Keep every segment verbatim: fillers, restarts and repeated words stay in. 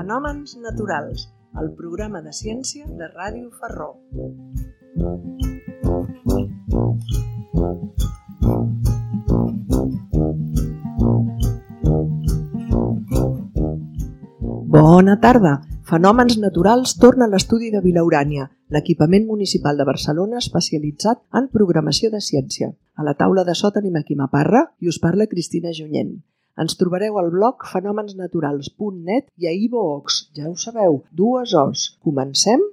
Fenòmens naturals, el programa de ciència de Ràdio Ferró. Bona tarda! Fenòmens naturals torna a l'estudi de Vilaurània, l'equipament municipal de Barcelona especialitzat en programació de ciència. A la taula de so tenim aquí Maparra i us parla Cristina Junyent. Ens trobareu al blog fenòmens naturals punt net i a iVoox, ja ho sabeu, dues O's. Comencem?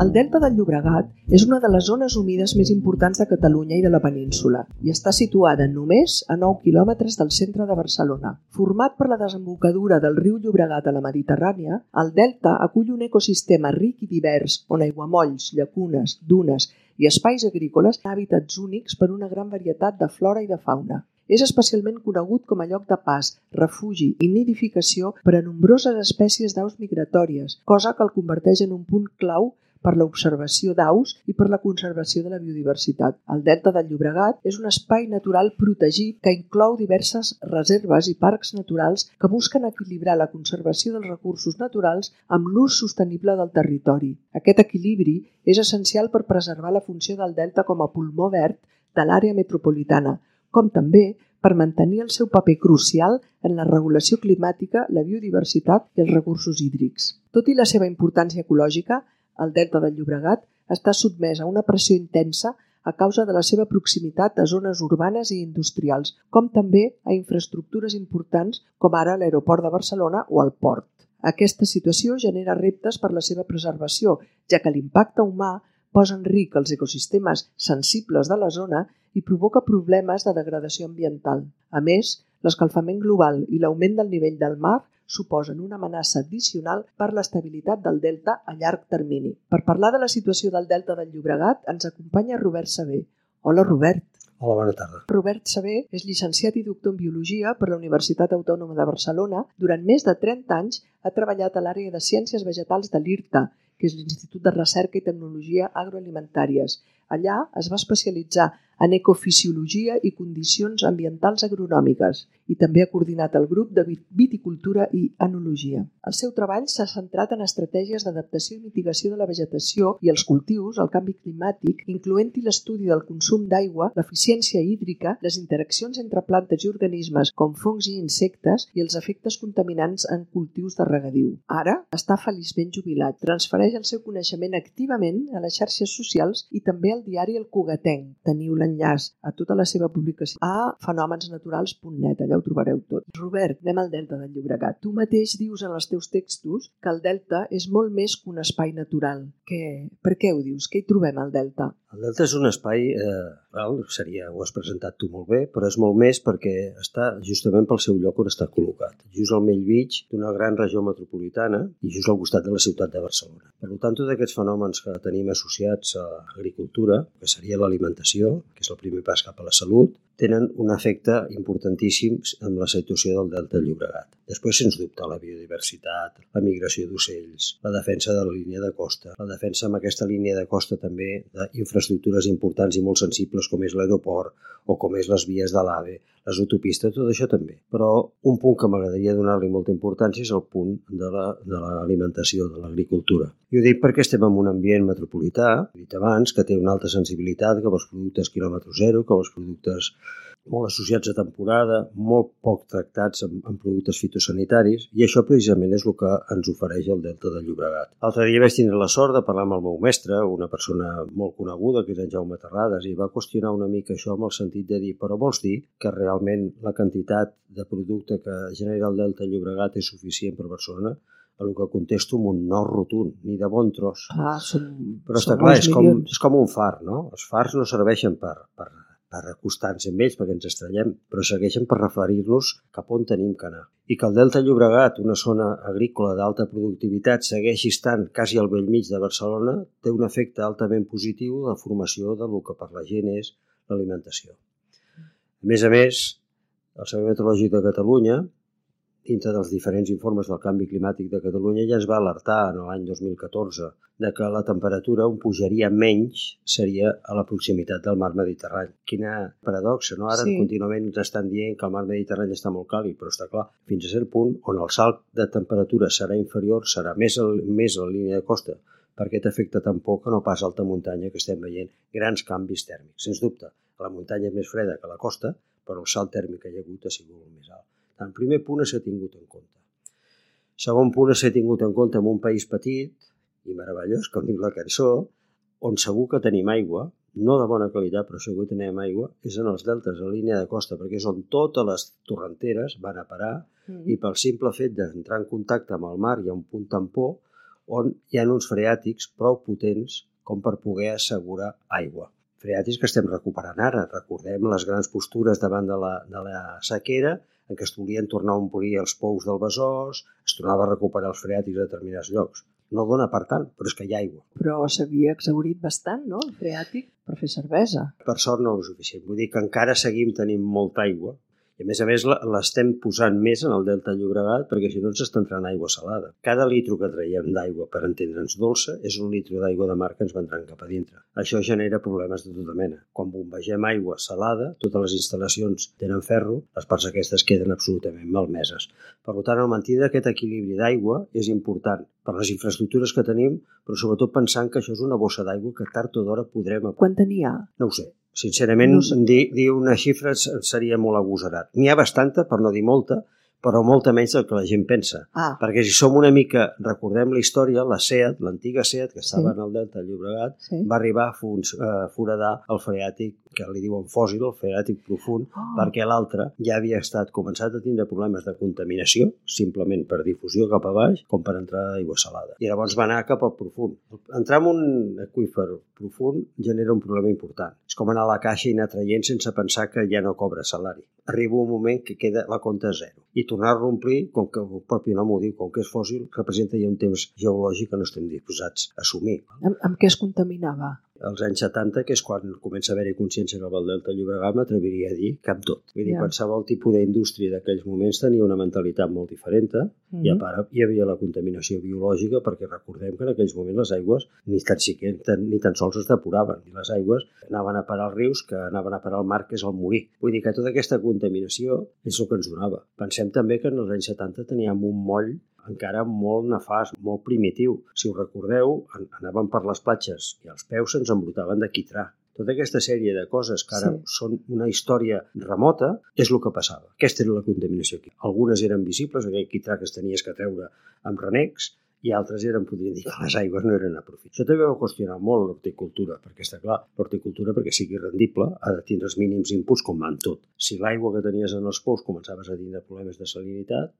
El Delta del Llobregat és una de les zones humides més importants de Catalunya i de la península i està situada només a nou quilòmetres del centre de Barcelona. Format per la desembocadura del riu Llobregat a la Mediterrània, el Delta acull un ecosistema ric i divers on aiguamolls, llacunes, dunes i espais agrícoles tenen hàbitats únics per una gran varietat de flora i de fauna. És especialment conegut com a lloc de pas, refugi i nidificació per a nombroses espècies d'aus migratòries, cosa que el converteix en un punt clau per l'observació d'aus i per la conservació de la biodiversitat. El Delta del Llobregat és un espai natural protegit que inclou diverses reserves i parcs naturals que busquen equilibrar la conservació dels recursos naturals amb l'ús sostenible del territori. Aquest equilibri és essencial per preservar la funció del Delta com a pulmó verd de l'àrea metropolitana, com també per mantenir el seu paper crucial en la regulació climàtica, la biodiversitat i els recursos hídrics. Tot i la seva importància ecològica, el Delta del Llobregat està sotmès a una pressió intensa a causa de la seva proximitat a zones urbanes i industrials, com també a infraestructures importants com ara l'aeroport de Barcelona o el port. Aquesta situació genera reptes per la seva preservació, ja que l'impacte humà posa en risc els ecosistemes sensibles de la zona i provoca problemes de degradació ambiental. A més, l'escalfament global i l'augment del nivell del mar suposen una amenaça addicional per l'estabilitat del delta a llarg termini. Per parlar de la situació del Delta del Llobregat ens acompanya Robert Saber. Hola, Robert. Hola, bona tarda. Robert Saber és llicenciat i doctor en Biologia per la Universitat Autònoma de Barcelona. Durant més de trenta anys ha treballat a l'àrea de Ciències Vegetals de l'I R T A, que és l'Institut de Recerca i Tecnologia Agroalimentàries. Allà es va especialitzar en ecofisiologia i condicions ambientals agronòmiques i també ha coordinat el grup de viticultura i enologia. El seu treball s'ha centrat en estratègies d'adaptació i mitigació de la vegetació i els cultius al canvi climàtic, incloent-hi l'estudi del consum d'aigua, l'eficiència hídrica, les interaccions entre plantes i organismes com fongs i insectes i els efectes contaminants en cultius de regadiu. Ara està feliçment jubilat. Transfereix el seu coneixement activament a les xarxes socials i també al diari El Cugatenc. Teniu l'enllaç a tota la seva publicació a fenòmens naturals punt net, allà ho trobareu tot. Robert, anem al Delta del Llobregat. Tu mateix dius en els teus textos que el Delta és molt més que un espai natural. Què? Per què ho dius? Què hi trobem al Delta? El Delta és un espai, eh, val, seria, ho has presentat tu molt bé, però és molt més perquè està justament pel seu lloc on està col·locat, just al Bellvitge d'una gran regió metropolitana i just al costat de la ciutat de Barcelona. Per tant, tots aquests fenòmens que tenim associats a l'agricultura, que seria l'alimentació, que és el primer pas cap a la salut, tenen un efecte importantíssim amb la situació del Delta del Llobregat. Després, sens dubte, la biodiversitat, la migració d'ocells, la defensa de la línia de costa, la defensa amb aquesta línia de costa també d'infraestructures importants i molt sensibles com és l'aeroport o com és les vies de l'AVE, les autopistes, tot això també. Però un punt que m'agradaria donar-li molta importància és el punt de l'alimentació, de l'agricultura. I ho dic perquè estem en un ambient metropolità, he dit abans, que té una alta sensibilitat cap als productes quilòmetre zero, cap als productes molt associats a temporada, molt poc tractats amb, amb productes fitosanitaris, i això precisament és el que ens ofereix el Delta del Llobregat. L'altre dia vaig tindre la sort de parlar amb el meu mestre, una persona molt coneguda, que és en Jaume Terrades, i va qüestionar una mica això amb el sentit de dir, però vols dir que realment la quantitat de producte que genera el Delta del Llobregat és suficient per Barcelona? A el que contesto amb un no rotund, ni de bon tros. Ah, són, però està clar, és com, és com un far, no? Els fars no serveixen per, per, per acostar-nos amb ells perquè ens estrellem, però segueixen per referir-nos cap on tenim que anar. I que el Delta del Llobregat, una zona agrícola d'alta productivitat, segueixi estant quasi al bell mig de Barcelona, té un efecte altament positiu de formació del que per la gent és l'alimentació. A més a més, el Servei Meteorològic de Catalunya dintre dels diferents informes del canvi climàtic de Catalunya, ja es va alertar en l'any dos mil catorze de que la temperatura on pujaria menys seria a la proximitat del mar Mediterrani. Quina paradoxa, no? Ara sí. Contínuament ens estan dient que el mar Mediterrani està molt càlid, però està clar, fins a cert punt on el salt de temperatura serà inferior, serà més a, més a la línia de costa, perquè t'afecta tan poc que no pas a alta muntanya, que estem veient grans canvis tèrmics. Sens dubte, la muntanya és més freda que la costa, però el salt tèrmic que hi ha hagut ha sigut molt més alt. El primer punt s'ha tingut en compte. Segon punt s'ha tingut en compte en un país petit i meravellós, com diu la cançó, on segur que tenim aigua, no de bona qualitat, però segur que tenim aigua, és en els deltes, a la línia de costa, perquè és on totes les torrenteres van a parar mm. i pel simple fet d'entrar en contacte amb el mar hi ha un punt tampó on hi ha uns freàtics prou potents com per poder assegurar aigua. Freàtics que estem recuperant ara. Recordem les grans postures davant de la, de la sequera, en què es volien tornar a omplir els pous del Besòs, es tornava a recuperar els freàtics a determinats llocs. No dona per tant, però és que hi ha aigua. Però s'havia exhaurit bastant, no?, el freàtic, per fer cervesa. Per sort no és suficient. Vull dir que encara seguim tenint molta aigua. I a més a més l'estem posant més en el Delta Llobregat perquè si no ens està entrant aigua salada. Cada litro que traiem d'aigua, per entendre'ns dolça, és un litro d'aigua de mar que ens va entrant cap a dintre. Això genera problemes de tota mena. Quan bombegem aigua salada, totes les instal·lacions tenen ferro, les parts aquestes queden absolutament malmeses. Per tant, el mantenir aquest equilibri d'aigua és important per les infraestructures que tenim, però sobretot pensant que això és una bossa d'aigua que tard o d'hora podrem... Quan tenia? No ho sé. Sincerament, no sé. dir, dir una xifra seria molt agosarat. N'hi ha bastanta, per no dir molta, però molta menys del que la gent pensa. Ah. Perquè si som una mica, recordem la història, la SEAT, l'antiga SEAT, que estava sí. en el Delta del Llobregat, sí. va arribar a foradar el freàtic, que li diuen fòssil, el freàtic profund, oh. perquè l'altre ja havia estat començat a tindre problemes de contaminació, simplement per difusió cap a baix, com per entrada d'aigua salada. I llavors va anar cap al profund. Entrar en un aqüífer profund genera un problema important. És com anar a la caixa i anar traient sense pensar que ja no cobra salari. Arriba un moment que queda la compta a zero. I tornar-lo a omplir, com que el propi nom ho diu, com que és fòssil, representa ja un temps geològic que no estem disposats a assumir. Amb, amb què es contaminava? Als anys setanta, que és quan comença a haver-hi consciència que el Delta Llobregat, m'atreviria a dir que amb tot. Vull dir, yeah. qualsevol tipus d'indústria d'aquells moments tenia una mentalitat molt diferent, mm-hmm. i a part hi havia la contaminació biològica, perquè recordem que en aquells moments les aigües ni tan, ni tan sols es depuraven, i les aigües anaven a parar als rius, que anaven a parar al mar, que és el morir. Vull dir que tota aquesta contaminació és el que ens donava. Pensem també que en els anys setanta teníem un moll encara molt nefast, molt primitiu. Si us recordeu, anàvem per les platges i els peus se'ns embrotaven de quitrà. Tota aquesta sèrie de coses que ara sí. són una història remota és el que passava. Aquesta era la contaminació aquí. Algunes eren visibles, aquell quitrà que es tenies que treure amb renecs, i altres eren, podríem dir, que les aigües no eren a profit. Això també va qüestionar molt l'horticultura, perquè està clar, l'horticultura, perquè sigui rendible, ha de tindre els mínims inputs com en tot. Si l'aigua que tenies en els pous començaves a tindre problemes de salinitat,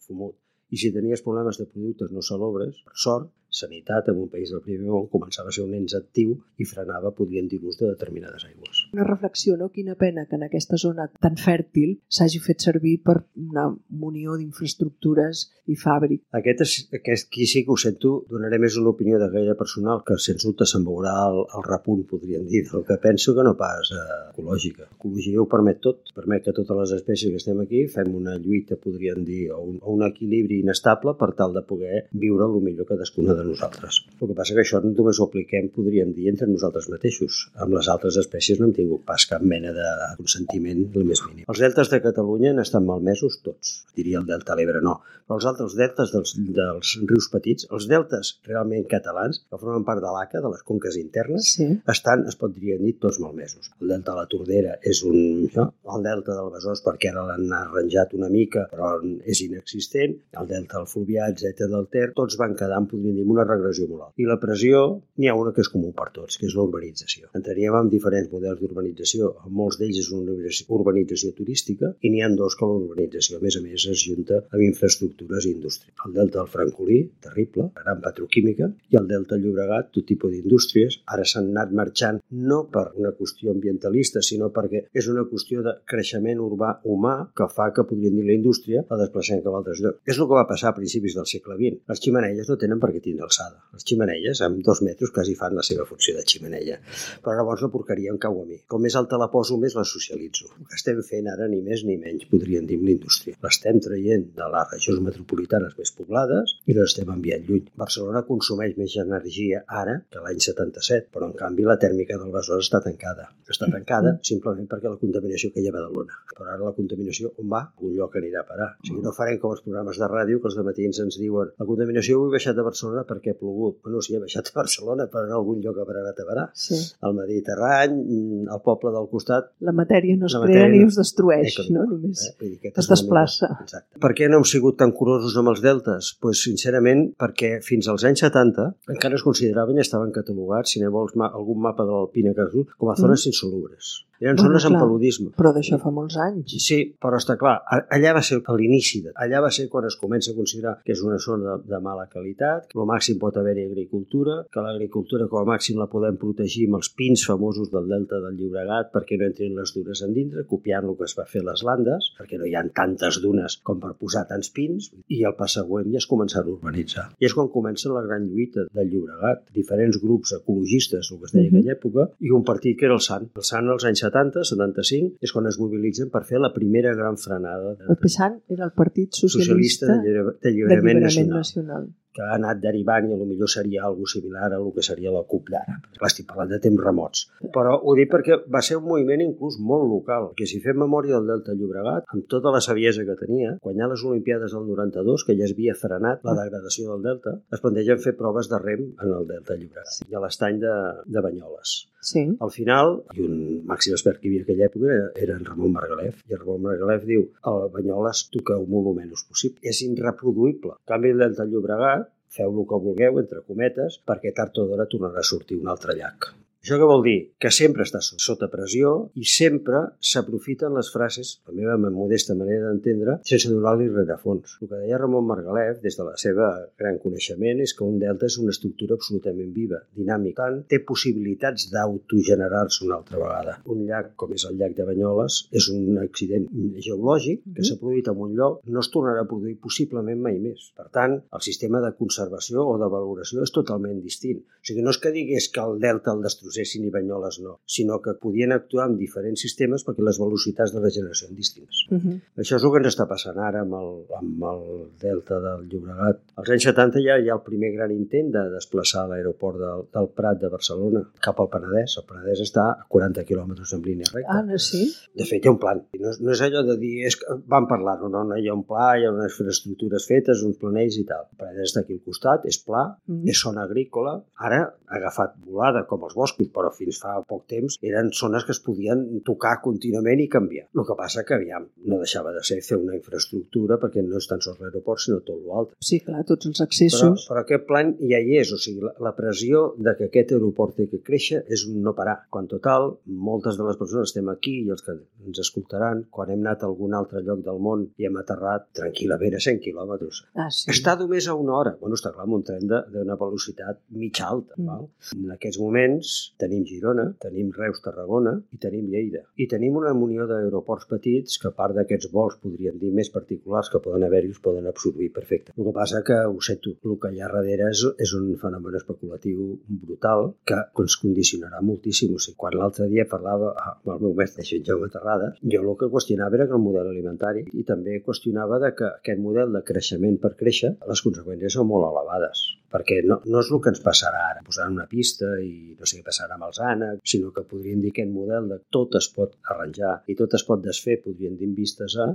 fumut. I si tenies problemes de productes no salobres, per sort, sanitat en un país del primer món començava a ser un ens actiu i frenava, podríem dir, l'ús de determinades aigües. Una reflexió, no? Quina pena que en aquesta zona tan fèrtil s'hagi fet servir per una munió d'infraestructures i fàbric. Aquest, és, aquest aquí sí que ho sento, donaré més una opinió de gaire personal, que sens dubte se'n veurà el, el repunt, podríem dir, del que penso que no pas eh, ecològica. L'ecologia ho permet tot, permet que totes les espècies que estem aquí fem una lluita, podríem dir, o un, o un equilibri inestable per tal de poder viure el millor cadascuna de nosaltres. El que passa que això només ho apliquem, podríem dir, entre nosaltres mateixos. Amb les altres espècies no hem tingut pas cap mena de consentiment el més mínim. Els deltes de Catalunya han estat malmesos tots. Diria el delta L'Ebre no. Però els altres deltes dels, dels rius petits, els deltes realment catalans, que formen part de l'A C A, de les conques internes, sí. estan, es podria dir, tots malmesos. El delta de la Tordera és un... No? El delta del Besòs, perquè ara l'han arranjat una mica, però és inexistent. El delta del Fluvià, etcètera del Ter, tots van quedar, podríem dir, una regressió molt alta. I la pressió, n'hi ha una que és comú per tots, que és l'urbanització. Entraríem en diferents models d'urbanització. Molts d'ells és una urbanització turística i n'hi ha dos que l'urbanització, a més a més, es junta amb infraestructures i indústria. El delta del Francolí, terrible, gran petroquímica, i el delta del Llobregat, tot tipus d'indústries. Ara s'han anat marxant no per una qüestió ambientalista, sinó perquè és una qüestió de creixement urbà humà que fa que, podríem dir, la indústria la desplacem cap a altres llocs. És el que va passar a principis del segle vint. Les ximeneies no tenen per què tindre alçada. Les ximeneies, amb dos metres, quasi fan la seva funció de ximeneia. Però llavors la porqueria en cau a mi. Com més alta la poso, més la socialitzo. El que estem fent ara, ni més ni menys, podríem dir amb l'indústria. L'estem traient de les regions metropolitanes més poblades i l'estem enviant lluny. Barcelona consumeix més energia ara que l'any setanta-set, però en canvi la tèrmica del Besòs està tancada. Està tancada simplement perquè la contaminació que hi ha a Badalona. Però ara la contaminació on va? A un lloc anirà a parar. O sigui, no farem com els programes de ràdio que els dematins ens diuen la contaminació avui ha baixat a Barcelona perquè ha plogut. Bueno, sí, ha baixat a Barcelona, però en algun lloc haurà anat a parar. Sí. Al Mediterrani, al poble del costat... La matèria no es la crea matèria ni es destrueix, eh, no? Només eh? Dir, es desplaça. Mica... Exacte. Per què no hem sigut tan curosos amb els deltes? Pues, sincerament, perquè fins als anys setanta encara es consideraven i estaven catalogats, si ne vols ma algun mapa de l'Alpina que has dut, com a zones mm. insalubres. Eren bueno, zones amb paludisme. Però d'això fa molts anys. Sí, però està clar, allà va ser l'inici, allà va ser quan es comença a considerar que és una zona de, de mala qualitat, que al màxim pot haver-hi agricultura, que l'agricultura com a màxim la podem protegir amb els pins famosos del delta del Llobregat perquè no entrin les dunes en dintre, copiant el que es va fer a les Landes, perquè no hi ha tantes dunes com per posar tants pins, i el pas següent ja es comença a urbanitzar. I és quan comença la gran lluita del Llobregat, diferents grups ecologistes, el que es deia en aquella època, i un partit que era el S A N. El S A N als anys setanta, setanta-cinc, és quan es mobilitzen per fer la primera gran frenada. El P SAN era el Partit Socialista, Socialista d'Alliberament Nacional. Nacional. Que ha anat derivant i potser seria alguna similar a el que seria la C U P d'ara. Clar, estic parlant de temps remots. Però ho dic perquè va ser un moviment inclús molt local, que si fem memòria del Delta Llobregat, amb tota la saviesa que tenia, quan hi ha les Olimpiades del noranta-dos, que ja es havia frenat la degradació del Delta, es plantegen fer proves de rem en el Delta Llobregat i a l'estany de, de Banyoles. Sí. Al final, i un màxim expert que hi havia en aquella època era, era en Ramon Margalef, i el Ramon Margalef diu a Banyoles toqueu molt el menys possible. És irreproduïble. En canvi, el Delta Llobregat, feu el que vulgueu, entre cometes, perquè tard o d'hora tornarà a sortir un altre llac. Això què vol dir? Que sempre està sota pressió i sempre s'aprofiten les frases, la meva modesta manera d'entendre, sense donar-li rerefons. El que deia Ramon Margalef, des de la seva gran coneixement, és que un delta és una estructura absolutament viva, dinàmica. Tant, té possibilitats d'autogenerar-se una altra vegada. Un llac, com és el llac de Banyoles, és un accident geològic que s'ha produït en un lloc, no es tornarà a produir possiblement mai més. Per tant, el sistema de conservació o de valoració és totalment distint. O sigui, no és que digués que el delta el destrueix i Banyoles no, sinó que podien actuar amb diferents sistemes perquè les velocitats de regeneració són distintes. Uh -huh. Això és el que ens està passant ara amb el, amb el delta del Llobregat. Als anys setanta ja hi ha el primer gran intent de desplaçar l'aeroport del, del Prat de Barcelona cap al Penedès. El Penedès està a quaranta quilòmetres en línia recta. Ah, no, sí? De fet, hi ha un plan. No, no és allò de dir, és que van parlar-ho, no, no, hi ha un pla, hi ha unes infraestructures fetes, uns planells i tal. El Penedès està aquí al costat, és pla, uh -huh. és zona agrícola. Ara ha agafat volada com els boscos, però fins fa poc temps eren zones que es podien tocar contínuament i canviar. El que passa que, aviam, no deixava de ser fer una infraestructura perquè no és tan sols l'aeroport, sinó tot l'altre. Sí, clar, tots els accessos. Però, però aquest plan ja hi és, o sigui, la, la pressió de que aquest aeroport té que créixer és un no parar. Quan total, moltes de les persones estem aquí i els que ens escoltaran, quan hem anat a algun altre lloc del món i hem aterrat tranquil·lament a cent quilòmetres. Ah, sí. Està només a una hora. Bueno, està clar, amb un tren d'una velocitat mitja alta. Mm. Val? En aquests moments tenim Girona, tenim Reus, Tarragona i tenim Lleida. I tenim una munió d'aeroports petits que a part d'aquests vols, podríem dir, més particulars que poden haver-hi, us poden absorbir perfecte. El que passa que, ho sé tu, el que hi ha darrere és, és un fenomen especulatiu brutal que ens condicionarà moltíssim. O sigui, quan l'altre dia parlava amb el meu mestre, en Jaume Terrades, jo el que qüestionava era que el model alimentari i també qüestionava de que aquest model de creixement per créixer, les conseqüències són molt elevades. Perquè no, no és el que ens passarà ara, posar una pista i no sé què passarà amb els ànecs, sinó que podríem dir que aquest model de tot es pot arranjar i tot es pot desfer, podríem dir en vistes a,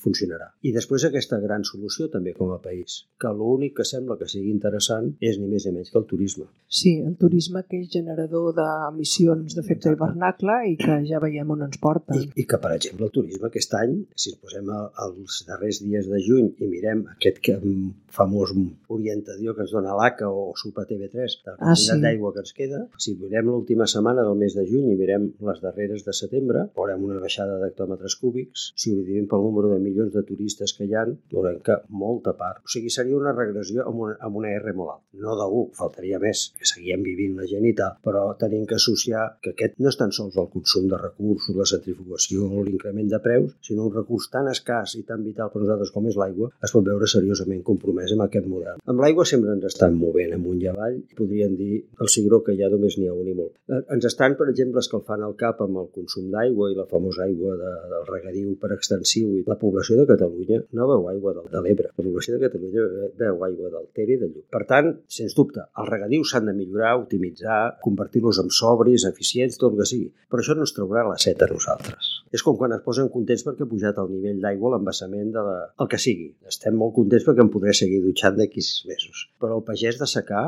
funcionarà. I després aquesta gran solució també com a país, que l'únic que sembla que sigui interessant és ni més ni menys que el turisme. Sí, el turisme que és generador d'emissions d'efecte hivernacle i que ja veiem on ens porta. I, I que, per exemple, el turisme aquest any, si ens posem els darrers dies de juny i mirem aquest famós orientador que ens dona l'A C A o Supa T V tres, de la quantitat ah, sí. d'aigua que ens queda, si mirem l'última setmana del mes de juny i mirem les darreres de setembre, veurem una baixada d'hectòmetres cúbics. Si ho dividim pel número de milions de turistes que hi ha, veurem que molta part. O sigui, seria una regressió amb una, amb una R molt alta. No de u, faltaria més, que seguíem vivint la gent i tal, però tenim que associar que aquest no és tan sols el consum de recursos, la centrifugació o l'increment de preus, sinó un recurs tan escàs i tan vital per nosaltres com és l'aigua, es pot veure seriosament compromès amb aquest model. Amb l'aigua sempre ens estan movent amunt i avall, podrien dir el cigró que ja només n'hi ha un i molt. Ens estan, per exemple, escalfant el cap amb el consum d'aigua i la famosa aigua de, del regadiu per extensiu. I la població de Catalunya no veu aigua de, de l'Ebre, la població de Catalunya veu aigua del Ter i del Llobregat. Per tant, sens dubte, els regadius s'han de millorar, optimitzar, convertir-los en sobris, eficients, tot el que sigui. Però això no ens traurà la set a nosaltres. És com quan es posen contents perquè ha pujat el nivell d'aigua a l'embassament de la... el que sigui. Estem molt contents perquè em podré seguir dutxant d'aquí sis mesos. Però el pagès de secà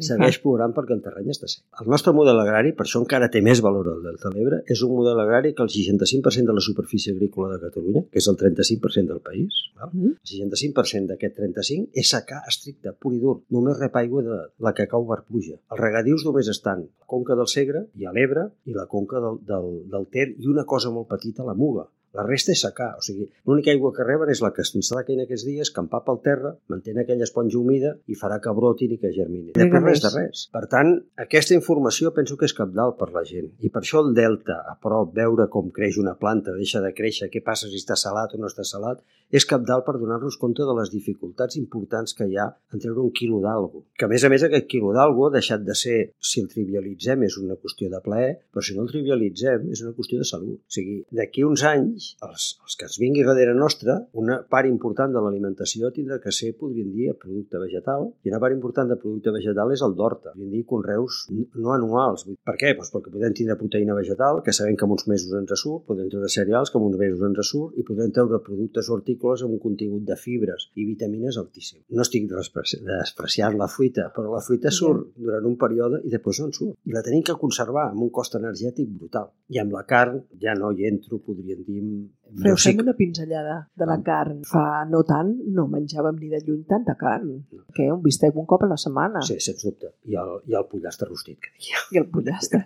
segueix plorant perquè el terreny està sec. El nostre model agrari, per això encara té més valor el Delta de l'Ebre, és un model agrari que el seixanta-cinc per cent de la superfície agrícola de Catalunya, que és el trenta-cinc per cent del país, val? El seixanta-cinc per cent d'aquest trenta-cinc és secà estricte, pur i dur. Només rep aigua de la que cau per pluja. Els regadius només estan a la conca del Segre i a l'Ebre i la conca del, del, del Ter i una cosa molt petita a la Muga. La resta és secà, o sigui, l'única aigua que reben és la que s'instal·la en aquests dies, que empapa el terra, mantén aquella esponja humida i farà que brotin i que germinin. Després res de res. Per tant, aquesta informació penso que és cabdal per la gent. I per això el delta, a prop, veure com creix una planta, deixa de créixer, què passa si està salat o no està salat, és cabdal per donar-nos compte de les dificultats importants que hi ha en treure un quilo d'algo. Que a més a més aquest quilo d'algo ha deixat de ser, si el trivialitzem és una qüestió de plaer, però si no el trivialitzem és una qüestió de salut. O sigui, d'aquí uns anys Els, els que ens vingui darrere nostra, una part important de l'alimentació tindrà que ser, podríem dir, producte vegetal, i una part important de producte vegetal és el d'horta, podríem dir conreus no anuals. Per què? Pues perquè podem tindre proteïna vegetal, que sabem que en uns mesos ens surt, podem treure cereals que en uns mesos ens surt, i podem treure productes hortícoles amb un contingut de fibres i vitamines altíssim. No estic despreciant la fruita, però la fruita surt durant un període i després no en surt. I la tenim que conservar amb un cost energètic brutal. I amb la carn ja no hi entro, podríem dir... Però fem una pinzellada de la carn. Fa no tant no menjàvem ni de lluny tanta carn. Que un bistec un cop a la setmana. Sí, sens dubte. I el, i el pollastre rostit, que diria. I el pollastre.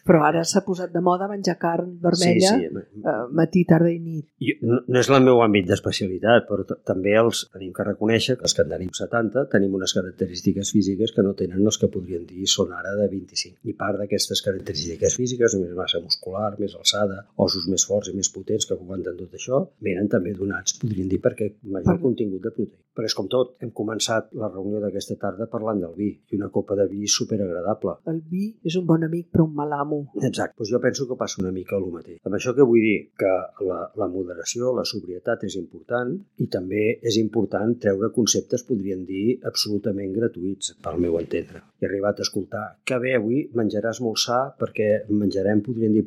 Però ara s'ha posat de moda menjar carn vermella sí, sí. Eh, matí, tarda i nit. I no, no és el meu àmbit d'especialitat, però també els tenim que reconèixer que els que en tenim setanta tenim unes característiques físiques que no tenen els que podrien dir són ara de vint-i-cinc. I part d'aquestes característiques físiques, més massa muscular, més alçada, ossos més forts i més potents que aguanten tot això, venen també donats, podríem dir, perquè major per... contingut de proteïna. Però és com tot, hem començat la reunió d'aquesta tarda parlant del vi, i una copa de vi superagradable. El vi és un bon amic però un mal amo. Exacte, doncs jo penso que passa una mica el mateix. Amb això que vull dir? Que la, la moderació, la sobrietat és important i també és important treure conceptes, podríem dir, absolutament gratuïts, pel meu entendre. He arribat a escoltar que bé, avui menjaràs molt sa perquè menjarem, podríem dir,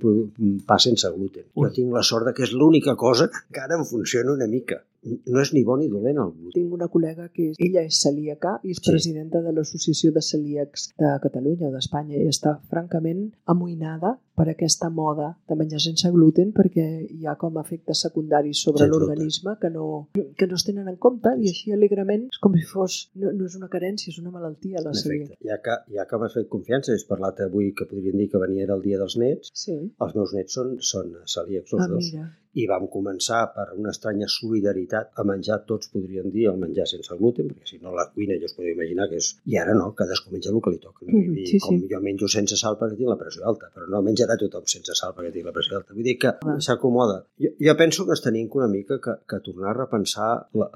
pa sense gluten. Jo tinc la sort que és l'única cosa que encara em funciona una mica. No és ni bo ni dolent el gluten. Tinc una col·lega que és, ella és celíaca i és sí. presidenta de l'Associació de Celíacs de Catalunya o d'Espanya i està francament amoïnada per aquesta moda de menjar sense gluten perquè hi ha com efectes secundaris sobre sí, l'organisme que no, que no es tenen en compte i així alegrement és com si fos, no, no és una carència, és una malaltia la celíaca. Ja que, ja que m'has fet confiança, has parlat avui que podríem dir que venia el dia dels nets, sí. Els meus nets són, són celíacs els ah, dos. Mira. I vam començar per una estranya solidaritat a menjar tots, podríem dir, el menjar sense gluten, perquè si no la cuina ja us podeu imaginar que és... I ara no, cadascú menja el que li toca. No? Mm, I sí, com sí. Jo menjo sense sal perquè tinc la pressió alta, però no menjarà tothom sense sal perquè tinc la pressió alta. Vull dir que ah. s'acomoda. Jo, jo penso que ens tenim una mica que, que tornar a repensar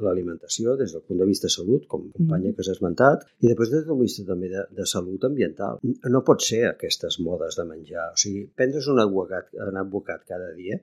l'alimentació des del punt de vista de salut, com companya mm. que s'ha esmentat, i després des del punt de vista també de, de salut ambiental. No pot ser aquestes modes de menjar. O sigui, prendre's un aguacat, un aguacat cada dia...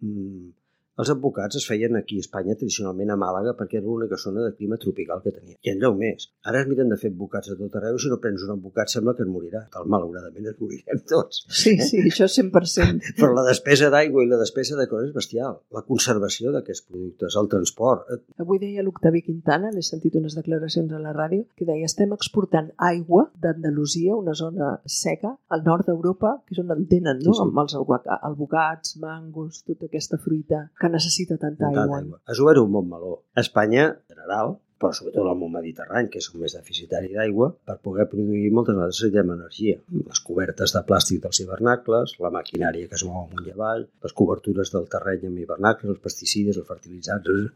Mm, Els advocats es feien aquí a Espanya, tradicionalment a Màlaga, perquè era l'única zona de clima tropical que tenia. I enlloc més. Ara es miren de fer advocats a tot arreu i si no prens un advocat sembla que et morirà. Tal, malauradament es morirem tots. Sí, sí, això cent per cent. Però la despesa d'aigua i la despesa de coses és bestial. La conservació d'aquests productes, el transport... Avui deia l'Octavi Quintana, l'he sentit unes declaracions a la ràdio, que deia estem exportant aigua d'Andalusia, una zona seca, al nord d'Europa, que és on en tenen, no? Sí, sí. Amb els alvocats, mangos, tota aquesta fruita que necessita tanta aigua. aigua. És obert un bon meló. A Espanya, en general, però sobretot al món mediterrani, que és el més deficitari d'aigua, per poder produir moltes vegades necessitem energia. Les cobertes de plàstic dels hivernacles, la maquinària que es mou amunt i avall, les cobertures del terreny amb hivernacles, els pesticides, els fertilitzants,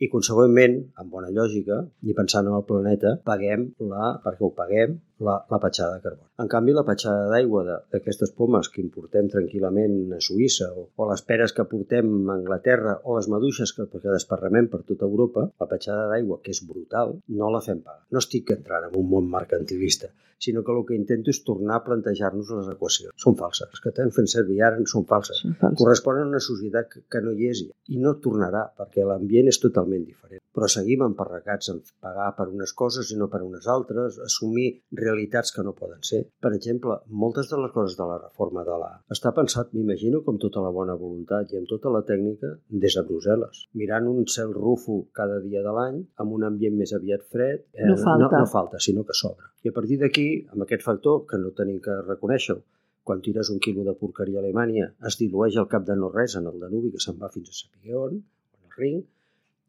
i consegüentment, amb bona lògica, i pensant en el planeta, paguem la, perquè ho paguem, la, la petjada de carboni. En canvi, la petjada d'aigua d'aquestes pomes que importem tranquil·lament a Suïssa o, o les peres que portem a Anglaterra o les maduixes que, que desparramem per tota Europa, la petjada d'aigua, que és és brutal, no la fem pagar. No estic entrant en un món mercantilista, sinó que el que intento és tornar a plantejar-nos les equacions. Són falses. Les que estem fent servir ara són falses. Són falses. Corresponen a una societat que, que no hi és i no tornarà, perquè l'ambient és totalment diferent. Però seguim emparracats en pagar per unes coses i no per unes altres, assumir realitats que no poden ser. Per exemple, moltes de les coses de la reforma de l'A està pensat, m'imagino, com tota la bona voluntat i amb tota la tècnica des de Brussel·les. Mirant un cel rúfol cada dia de l'any, amb un ambient més aviat fred, eh, no, falta. No, no falta, sinó que sobra. I a partir d'aquí, amb aquest factor, que no tenim que reconèixer-ho, quan tires un quilo de porqueria a Alemanya, es dilueix al cap de no res en el Danubi, que se'n va fins a saber on, en el Rin.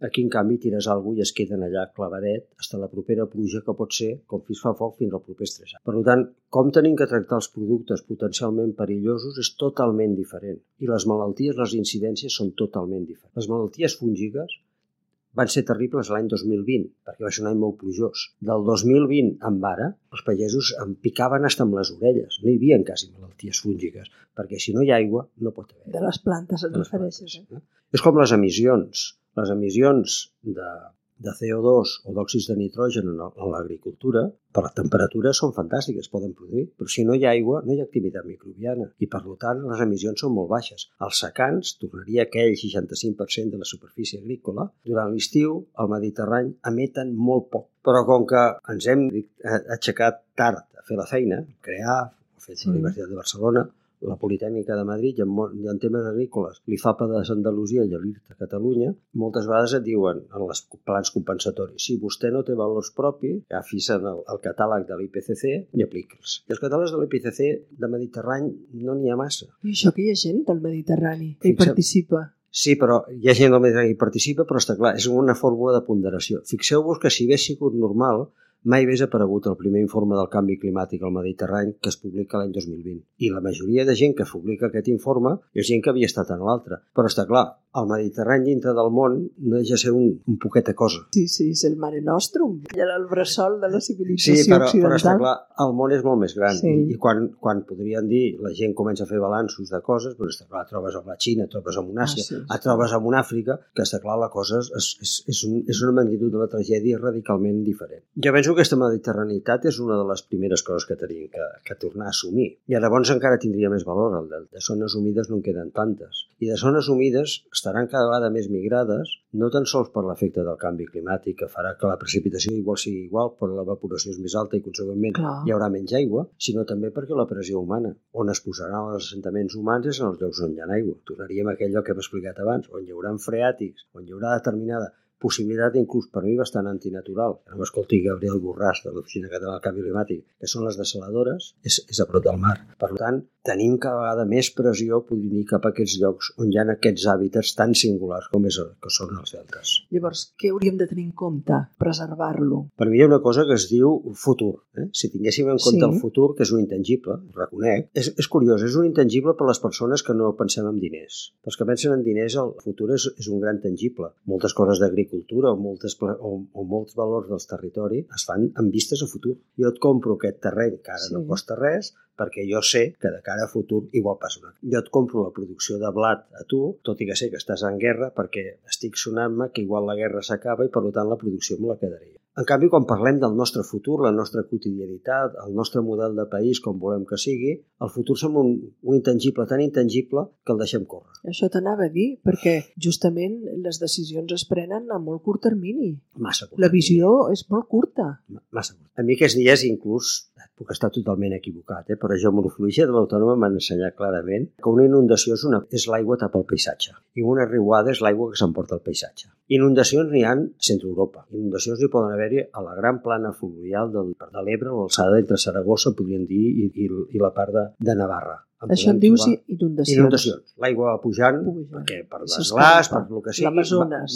Aquí, en canvi, tires alguna cosa i es queden allà clavadet fins a la propera pluja, que pot ser, com fins fa foc, fins al proper estrès. Per tant, com tenim que tractar els productes potencialment perillosos és totalment diferent. I les malalties, les incidències són totalment diferents. Les malalties fúngiques van ser terribles l'any dos mil vint, perquè va ser un any molt plujós. Del dos mil vint en ara, els pagesos em picaven fins amb les orelles. No hi havia quasi malalties fúngiques, perquè si no hi ha aigua, no pot haver. De les plantes et refereixes, eh? És com les emissions. Les emissions de, de C O dos o d'òxids de nitrogen en, en l'agricultura, per la temperatura són fantàstiques, poden produir, però si no hi ha aigua, no hi ha activitat microbiana i, per tant, les emissions són molt baixes. Els secans, tornaria aquell seixanta-cinc per cent de la superfície agrícola, durant l'estiu, al Mediterrani, emeten molt poc. Però com que ens hem aixecat tard a fer la feina, crear, ho ha fet sí. la Universitat de Barcelona, la Politècnica de Madrid i en, i en temes agrícoles, l'I F A P A d'Andalusia i l'I R T a Catalunya, moltes vegades et diuen en els plans compensatoris, si vostè no té valors propis, agafis el, el catàleg de l'I P C C i apliqui'ls. I els catàlegs de l'I P C C de Mediterrani no n'hi ha massa. I això que hi ha gent del Mediterrani que hi participa. Sí, però hi ha gent del Mediterrani que hi participa, però està clar, és una fórmula de ponderació. Fixeu-vos que si hagués sigut normal, mai hagués aparegut el primer informe del canvi climàtic al Mediterrani que es publica l'any dos mil vint. I la majoria de gent que publica aquest informe és gent que havia estat en l'altre. Però està clar, el Mediterrani dintre del món no deixa ser un, un poquet de cosa. Sí, sí, és el Mare Nostrum, el bressol de la civilització sí, però, occidental. Però està clar, el món és molt més gran. Sí. I, i quan, quan podrien dir, la gent comença a fer balanços de coses, però està clar, trobes amb la Xina, trobes amb una Àsia, ah, sí, sí. trobes amb una Àfrica, que està clar, la cosa és, és, és, un, és una magnitud de la tragèdia radicalment diferent. Jo penso que aquesta mediterranitat és una de les primeres coses que tenim que, que tornar a assumir. I llavors encara tindria més valor el de, de zones humides no en queden tantes. I de zones humides estaran cada vegada més migrades, no tan sols per l'efecte del canvi climàtic, que farà que la precipitació igual sigui igual, però l'evaporació és més alta i, consegüentment, Clar. hi haurà menys aigua, sinó també perquè la pressió humana, on es posaran els assentaments humans és en els llocs on hi ha aigua. Tornaríem a aquell lloc que hem explicat abans, on hi haurà freàtics, on hi haurà determinada possibilitat, inclús per mi bastant antinatural. No m'escolti Gabriel Borràs de l'Oficina Catalana del Canvi Climàtic, que són les desaladores, és, és a prop del mar. Per tant, tenim cada vegada més pressió, podríem dir, cap a aquests llocs on hi ha aquests hàbitats tan singulars com és, que són els deltes. Llavors, què hauríem de tenir en compte? Preservar-lo? Per mi hi ha una cosa que es diu futur. Eh? Si tinguéssim en compte sí. el futur, que és un intangible, ho reconec, és, és curiós, és un intangible per les persones que no pensem en diners. Per als que pensen en diners, el futur és, és un gran tangible. Moltes coses d'agricultura cultura o, moltes, o, o molts valors dels territoris es fan amb vistes a futur. Jo et compro aquest terreny que ara sí. no costa res perquè jo sé que de cara a futur igual passa una. Jo et compro la producció de blat a tu, tot i que sé que estàs en guerra perquè estic sonant-me que igual la guerra s'acaba i per tant la producció me la quedaria. En canvi, quan parlem del nostre futur, la nostra quotidianitat, el nostre model de país com volem que sigui, el futur sembla un, un intangible tan intangible que el deixem córrer. Això t'anava a dir, perquè justament les decisions es prenen a molt curt termini. Massa curt. La visió és molt curta. Massa curt. A mi aquests dies inclús puc estar totalment equivocat, eh? però geomorfologia de l'Autònoma m'ha ensenyat clarament que una inundació és, una, és l'aigua tapa el paisatge i una riuada és l'aigua que s'emporta el paisatge. Inundacions n'hi ha a centre Europa. Inundacions n'hi poden haver-hi a la gran plana fluvial del, de l'Ebre, a l'alçada entre Saragossa, podríem dir, i, i, i la part de, de Navarra. Això en dius inundacions. Inundacions. L'aigua va pujant, pujant. perquè per desglàs, per el que sigui. L'Amazones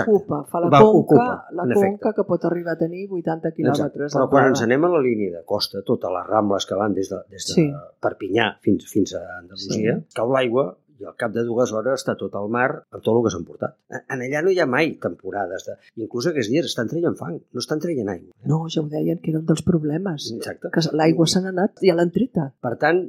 ocupa, fa la va, conca, ocupa, la conca que pot arribar a tenir vuitanta quilòmetres. Però quan ens anem a la línia de costa, totes les rambles que van des de, des de sí. Perpinyà fins, fins a Andalusia, sí. cau l'aigua i al cap de dues hores està tot al mar amb tot el que s'han portat. En allà no hi ha mai temporades. De... Inclús aquests dies estan traient fang, no estan traient aigua. No, ja ho deien, que era un dels problemes. Exacte. Que l'aigua se n'ha anat i ja l'han treta. Per tant,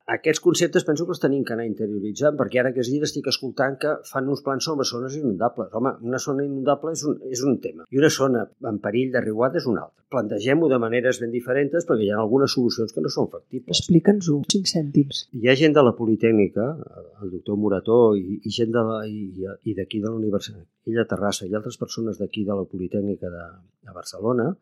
aquests conceptes penso que els tenim que anar interioritzant, perquè ara aquests dies estic escoltant que fan uns plans sobre zones inundables. Home, una zona inundable és un, és un tema, i una zona en perill de riuada és una altra. Plantegem-ho de maneres ben diferents perquè hi ha algunes solucions que no són factibles. Explica'ns-ho, cinc cèntims. Hi ha gent de la Politècnica, el doctor Morató i, i gent de la, i, i d'aquí de la Universitat, ella de Terrassa i altres persones d'aquí de la Politècnica de, de Barcelona,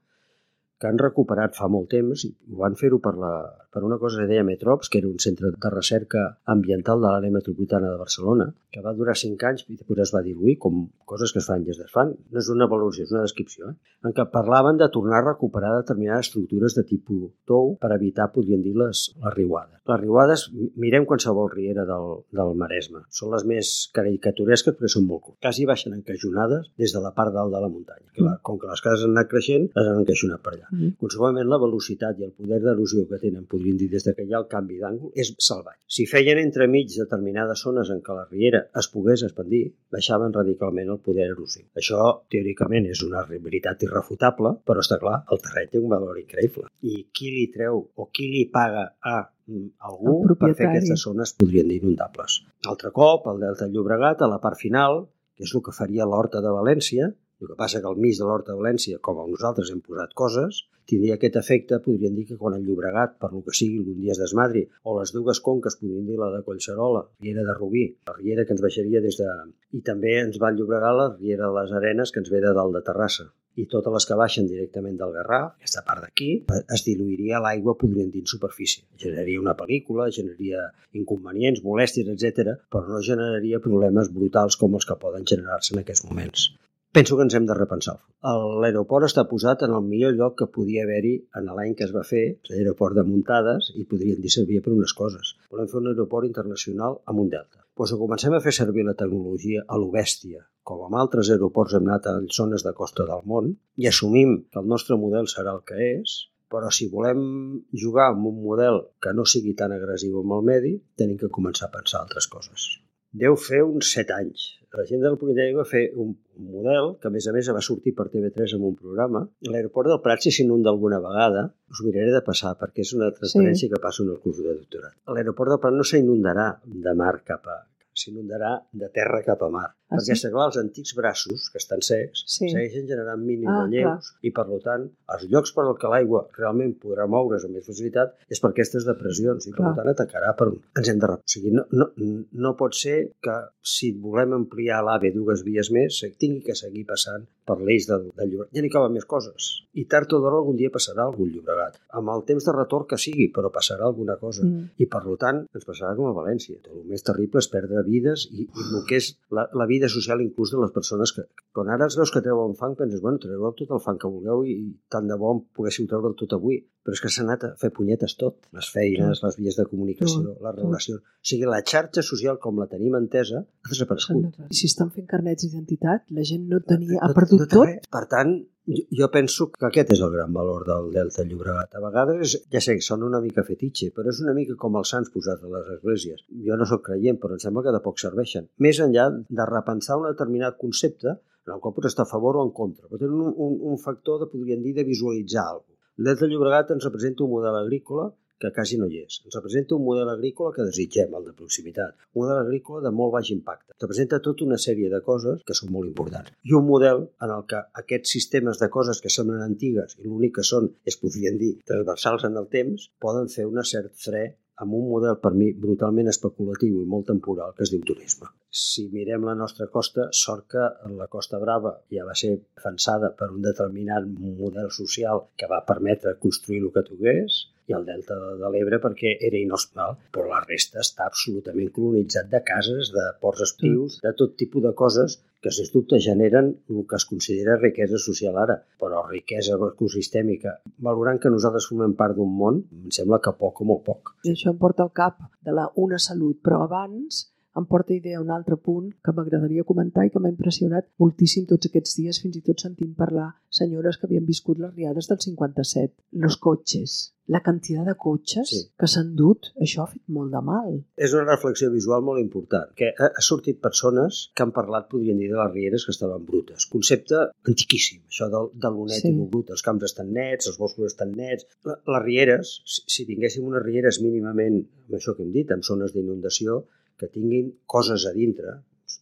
que han recuperat fa molt temps i ho van fer-ho per, la, per una cosa que deia Metrops, que era un centre de recerca ambiental de l'àrea metropolitana de Barcelona, que va durar cinc anys i després es va diluir, com coses que es fan i es desfan. No és una valoració, és una descripció, eh? En què parlaven de tornar a recuperar determinades estructures de tipus tou per evitar, podríem dir, les, les riuades. Les riuades, mirem qualsevol riera del, del Maresme. Són les més caricaturesques perquè són molt curtes. Quasi baixen encaixonades des de la part dalt de la muntanya. Clar, com que les cases han anat creixent, les han encaixonat per allà. Mm. Conseqüentment, la velocitat i el poder d'erosió que tenen, podríem dir, des que hi ha el canvi d'àngul, és salvatge. Si feien entremig determinades zones en què la riera es pogués expandir, baixaven radicalment el poder erosiu. Això, teòricament, és una veritat irrefutable, però està clar, el terreny té un valor increïble. I qui li treu o qui li paga a algú per fer aquestes zones, podrien dir, inundables. Altre cop, el Delta del Llobregat, a la part final, que és el que faria l'Horta de València. El que passa que al mig de l'Horta de València, com nosaltres hem posat coses, tindria aquest efecte, podríem dir que quan el Llobregat, per lo que sigui, algun dia es desmadri, o les dues conques, podríem dir la de Collserola, la riera de Rubí, la riera que ens baixaria des de... I també ens va llobregar la riera de les Arenes, que ens ve de dalt de Terrassa. I totes les que baixen directament del Garraf, aquesta part d'aquí, es diluiria l'aigua, podríem dir, en superfície. Generaria una pel·lícula, generaria inconvenients, molèsties, etcètera, però no generaria problemes brutals com els que poden generar-se en aquests moments. Penso que ens hem de repensar. L'aeroport està posat en el millor lloc que podia haver-hi en l'any que es va fer, l'aeroport de Muntades, i podrien dir servir per unes coses. Volem fer un aeroport internacional amb un delta. Doncs si comencem a fer servir la tecnologia a lo bèstia, com amb altres aeroports hem anat a zones de costa del món, i assumim que el nostre model serà el que és, però si volem jugar amb un model que no sigui tan agressiu amb el medi, tenim que començar a pensar altres coses. Deu fer uns set anys. La gent del Politècnic va fer un model que, a més a més, va sortir per T V tres en un programa. L'aeroport del Prat, si s'inunda alguna vegada, us ho miraré de passar, perquè és una transparència sí. Que passo en el curs de doctorat. L'aeroport del Prat no s'inundarà de mar cap a... s'inundarà de terra cap a mar. Ah, perquè, sí? Clar, els antics braços, que estan secs, sí. Segueixen generant mínims ah, relleus i, per tant, els llocs per al que l'aigua realment podrà moure's amb més facilitat és per aquestes depressions i, per clar. Tant, atacarà per on ens hem de rep. O sigui, no, no, no pot ser que, si volem ampliar l'AVE dues vies més, tingui que seguir passant per l'eix del, del Llobregat. Ja n'hi caben més coses. I tard o d'hora algun dia passarà algun Llobregat. Amb el temps de retorn que sigui, però passarà alguna cosa. Mm. I, per tant, ens passarà com a València. El més terrible és perdre vides i, i el que és la, la vida social inclús de les persones que... Quan ara els veus que treuen fang, penses, bueno, treureu tot el fang que vulgueu i, i tant de bo en poguéssiu treure'l tot avui. Però és que s'ha anat a fer punyetes tot. Les feines, les vies de comunicació, les relacions... O sigui, la xarxa social, com la tenim entesa, ha desaparegut. I si estan fent carnets d'identitat, la gent no tenia... ha perdut no, no tot. Per tant, jo, jo penso que aquest és el gran valor del Delta Llobregat. A vegades, ja sé, sona una mica fetitxe, però és una mica com els sants posats a les esglésies. Jo no sóc creient, però em sembla que de poc serveixen. Més enllà de repensar un determinat concepte, en el qual pots estar a favor o en contra, però tenen un, un, un factor, de, podríem dir, de visualitzar alguna cosa. El Delta Llobregat ens representa un model agrícola que quasi no hi és. Ens representa un model agrícola que desitgem, el de proximitat. Un model agrícola de molt baix impacte. Ens representa tota una sèrie de coses que són molt importants. I un model en el que aquests sistemes de coses que semblen antigues i l'únic que són, es podrien dir, transversals en el temps, poden fer una cert fre amb un model, per mi, brutalment especulatiu i molt temporal, que es diu turisme. Si mirem la nostra costa, sort que la Costa Brava ja va ser defensada per un determinat model social que va permetre construir el que togués, i el Delta de l'Ebre perquè era inhòspitable, però la resta està absolutament colonitzat de cases, de ports estius, de tot tipus de coses que, sens dubte, generen el que es considera riquesa social ara, però riquesa ecosistèmica. Valorant que nosaltres formem part d'un món, em sembla que poc o molt poc. I això em porta al cap de la una salut, però abans, em porta idea un altre punt que m'agradaria comentar i que m'ha impressionat moltíssim tots aquests dies, fins i tot sentint parlar senyores que havien viscut les riades del cinquanta-set. Los cotxes. La quantitat de cotxes sí. que s'han dut, això ha fet molt de mal. És una reflexió visual molt important, que ha, ha sortit persones que han parlat, podrien dir, de les rieres que estaven brutes. Concepte antiquíssim, això de, de l'onet sí. i el brut. Els camps estan nets, els boscos estan nets. Les rieres, si tinguéssim unes rieres mínimament, amb això que hem dit, amb zones d'inundació, que tinguin coses a dintre,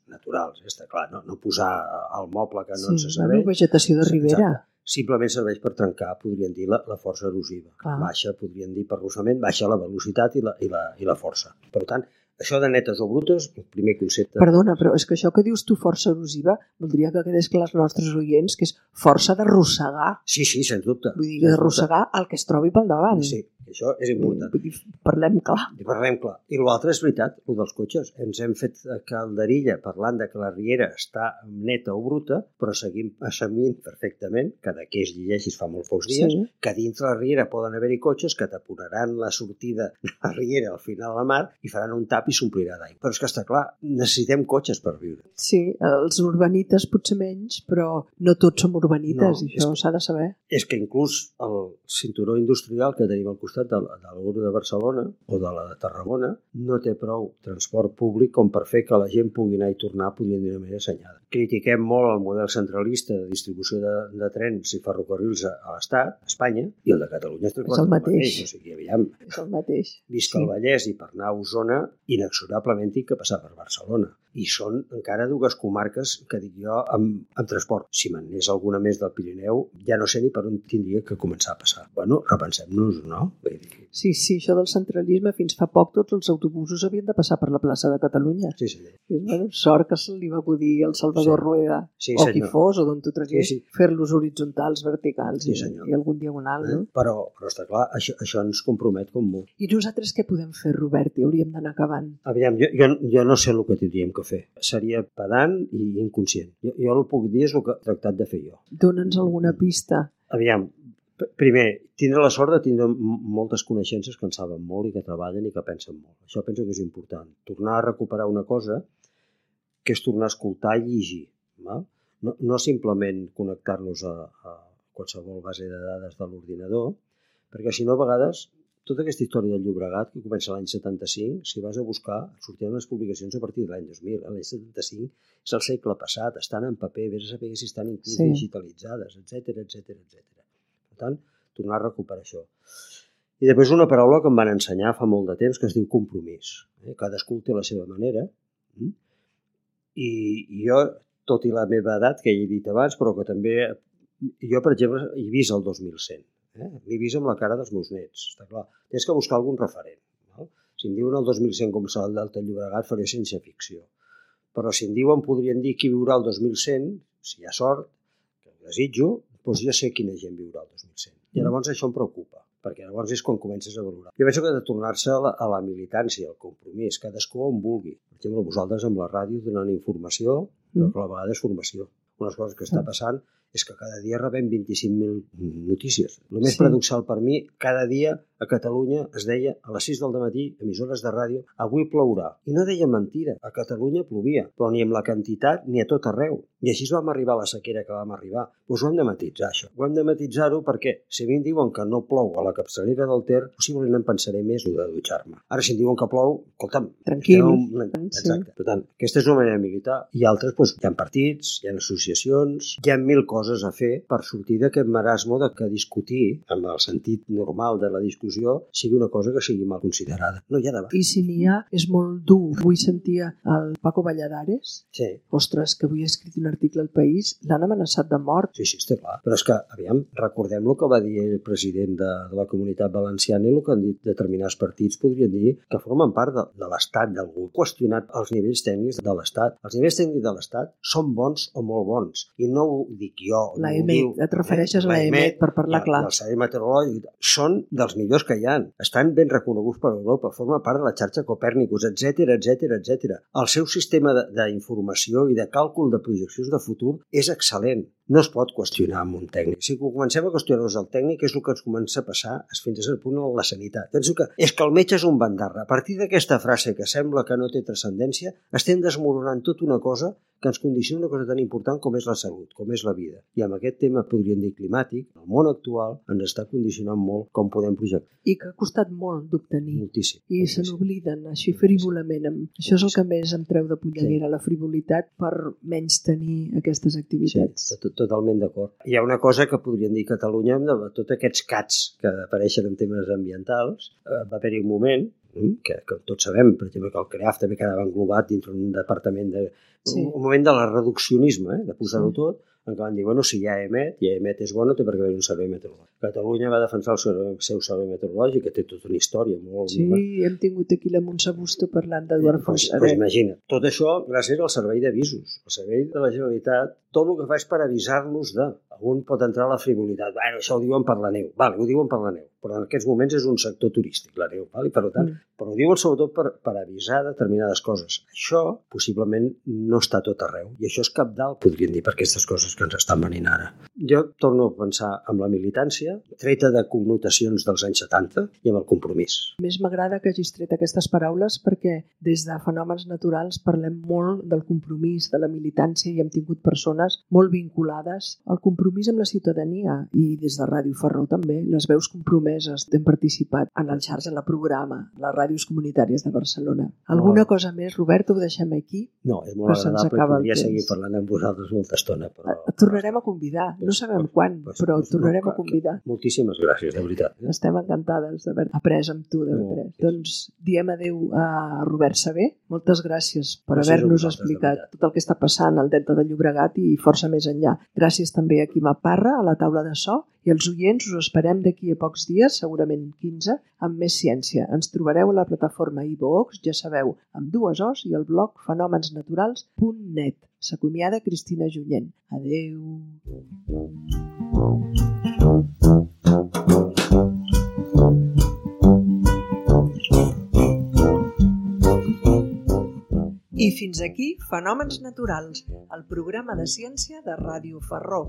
naturals, està clar, no, no posar el moble que no sí, ens serveix. Sí, vegetació de ribera. Exacte. Simplement serveix per trencar, podrien dir, la, la força erosiva. Clar. Baixa, podrien dir, per arrossament, baixa la velocitat i la, i la, i la força. Per tant, això de netes o brutes, el primer concepte... Perdona, però és que això que dius tu, força erosiva, voldria que quedés clar als nostres oients que és força d'arrossegar. Sí, sí, sens dubte. Vull dir, d'arrossegar el que es trobi pel davant. Sí, això és important. Vull dir, parlem clar. I parlem clar. I l'altre és veritat, el dels cotxes. Ens hem fet calderilla parlant de que la riera està neta o bruta, però seguim assumint perfectament, que de què es llegeixis fa molts pocs dies, sí. que dins la riera poden haver-hi cotxes que taponaran la sortida de la riera al final de la mar i faran un tap i s'omplirà d'aigua. Però és que està clar, necessitem cotxes per viure. Sí, els urbanites potser menys, però no tots som urbanites, no, i això s'ha de saber. És que inclús el cinturó industrial que tenim al costat de, de l'Euro de Barcelona o de la de Tarragona no té prou transport públic com per fer que la gent pugui anar i tornar, podrien dir una manera assenyada. Critiquem molt el model centralista de distribució de, de trens i ferrocarrils a, a l'Estat, a Espanya, i el de Catalunya és, és el mateix. mateix. O sigui, aviam, és el mateix. Visca sí. el Vallès i per anar a Osona, inexorablement tinc que passar per Barcelona. I són encara dues comarques que dic jo amb, amb transport. Si me'n anés alguna més del Pirineu, ja no sé ni per on tindria que començar a passar. Bueno, repensem-nos, no? Vull dir... Sí, sí, això del centralisme, fins fa poc tots els autobusos havien de passar per la plaça de Catalunya. Sí, sí. I, bueno, sort que se li va acudir al Salvador sí. Rueda, sí, o qui fos, o d'on tu tragués, sí, sí. fer-los horitzontals, verticals sí, i, i algun diagonal, eh? no? Però, però està clar, això, això ens compromet com molt. I nosaltres què podem fer, Robert? I hauríem d'anar acabant. Aviam, jo, jo, jo no sé el que tindríem que fer. Seria pedant i inconscient. Jo, jo el puc dir és el que he tractat de fer jo. Dóna'ns alguna pista. Aviam, primer, tindre la sort de tindre moltes coneixences que en saben molt i que treballen i que pensen molt. Això penso que és important. Tornar a recuperar una cosa que és tornar a escoltar i llegir. Val? No, no simplement connectar-nos a, a qualsevol base de dades de l'ordinador, perquè si no, a vegades, tota aquesta història del Llobregat, que comença l'any setanta-cinc, si vas a buscar, sortiran les publicacions a partir de l'any dos mil. L'any setanta-cinc és el segle passat, estan en paper, vés a saber si estan inclús sí. digitalitzades, etcètera, etcètera, etcètera. Per tant, tornar a recuperar això. I després una paraula que em van ensenyar fa molt de temps que es diu compromís. Eh? Cadascú té la seva manera. Mm? I, I jo, tot i la meva edat, que ja he dit abans, però que també... Jo, per exemple, he vist el dos mil cent. Eh? L'he vist amb la cara dels meus nets. Està clar. Tens que buscar algun referent. No? Si em diuen el dos mil cent com serà el Delta Llobregat, faré ciència ficció. Però si em diuen, podrien dir qui viurà el dos mil cent, si hi ha sort, que ho desitjo, doncs ja sé quina gent viurà el dos mil cent. I llavors això em preocupa, perquè llavors és quan comences a valorar. Jo penso que ha de tornar-se a, la, a la militància, al compromís, cadascú on vulgui. Per exemple, vosaltres amb la ràdio donant informació, però que a la vegada és formació. Una de les coses que està passant és que cada dia rebem vint-i-cinc mil notícies. El més sí. paradoxal per mi, cada dia a Catalunya es deia a les sis del matí, emissores de ràdio, avui plourà. I no deia mentira, a Catalunya plovia, però ni amb la quantitat ni a tot arreu. I així vam arribar a la sequera que vam arribar. Doncs ho hem de matitzar, això. Ho hem de matitzar-ho perquè si a mi em diuen que no plou a la capçalera del Ter, possiblement em pensaré més de dutxar-me. Ara, si em diuen que plou, escolta'm... Tranquil. Un... Exacte. Sí. Per tant, aquesta és una manera militar. I altres, doncs, hi ha partits, hi ha associacions, hi ha mil coses a fer per sortir d'aquest marasmo de que discutir, amb el sentit normal de la discussió, sigui una cosa que sigui mal considerada. No hi ha debat. I si n'hi ha, és molt dur. Avui sentia el Paco Valladares. Sí. Ostres, que avui ha escrit un article al País, l'han amenaçat de mort. Sí, sí, està clar. Però és que, aviam, recordem el que va dir el president de, de la Comunitat Valenciana i el que han dit determinats partits podrien dir que formen part de, de l'Estat, d'algú. Qüestionat els nivells tècnics de l'Estat. Els nivells tècnics de l'Estat són bons o molt bons. I no ho dic jo. La E M E T, et refereixes a la E M E T, per parlar clar. El Servei Meteorològic són dels millors que hi ha. Estan ben reconeguts per Europa, forma part de la xarxa Copèrnicus, etcètera, etcètera, etcètera. El seu sistema d'informació i de càlcul de projeccions de futur és excel·lent. no es pot qüestionar amb un tècnic. Si comencem a qüestionar-nos el tècnic, és el que ens comença a passar fins a cert punt a la sanitat. Penso que és que el metge és un bandarra. A partir d'aquesta frase que sembla que no té transcendència, estem desmoronant tota una cosa que ens condiciona una cosa tan important com és la salut, com és la vida. I amb aquest tema, podríem dir climàtic, el món actual ens està condicionant molt com podem projectar. I que ha costat molt d'obtenir. Moltíssim. I moltíssim. Se n'obliden, així frívolament. Això és el que més em treu de polleguera, sí. La frivolitat per menys tenir aquestes activitats. Sí, tot, totalment d'acord. Hi ha una cosa que podríem dir a Catalunya, de tots aquests cats que apareixen en temes ambientals, eh, va haver-hi un moment que, que tots sabem, per exemple, que el CREAF també quedava englobat dintre un departament de... Sí. Un moment de la reduccionisme, eh, de posar-ho sí. tot, en què van dir, bueno, si hi ha EMET, i EMET és bo, no té per què haver un servei meteorològic. Catalunya va defensar el seu, seu servei meteorològic, que té tota una història molt... Sí, molt... hem tingut aquí la Montse Busto parlant d'Eduard eh, Foix. Doncs pues imagina, tot això gràcies al servei d'avisos. El servei de la Generalitat, tot el que fa és per avisar-nos de... Algun pot entrar a la frivolitat. Bueno, això ho diuen per la neu. Vale, ho diuen per la neu. Però en aquests moments és un sector turístic, la neu. Vale? Per tant, mm. Però ho diuen sobretot per, per avisar determinades coses. Això possiblement no està tot arreu. I això és cabdal, podríem dir, per aquestes coses que ens estan venint ara. Jo torno a pensar en la militància, treta de connotacions dels anys setanta i amb el compromís. Més m'agrada que hagis tret aquestes paraules perquè des de fenòmens naturals parlem molt del compromís, de la militància i hem tingut persones molt vinculades al compromís amb la ciutadania i des de Ràdio Ferró també, les veus compromeses hem participat en el xarxa, en la programa, les ràdios comunitàries de Barcelona. Alguna oh. cosa més, Robert, ho deixem aquí? No, és molt agradable, podria seguir parlant amb vosaltres molta estona. Però... Et tornarem a convidar, no sabem pues, quan, pues, però et tornarem no, a convidar. Moltíssimes gràcies, de veritat. Eh? Estem encantades d'haver après amb tu, d'haver après. No, doncs diem adeu a Robert Saber, moltes gràcies per gràcies haver-nos explicat tot el que està passant al Delta del Llobregat i força més enllà. Gràcies també a Quima Parra, a la taula de so, i els oients us esperem d'aquí a pocs dies, segurament quinze, amb més ciència. Ens trobareu a la plataforma iVoox, ja sabeu, amb dues O's i el blog fenomensnaturals punt net. S'acomiada Cristina Junyent. Adeu. I fins aquí Fenòmens Naturals, el programa de ciència de Ràdio Ferró.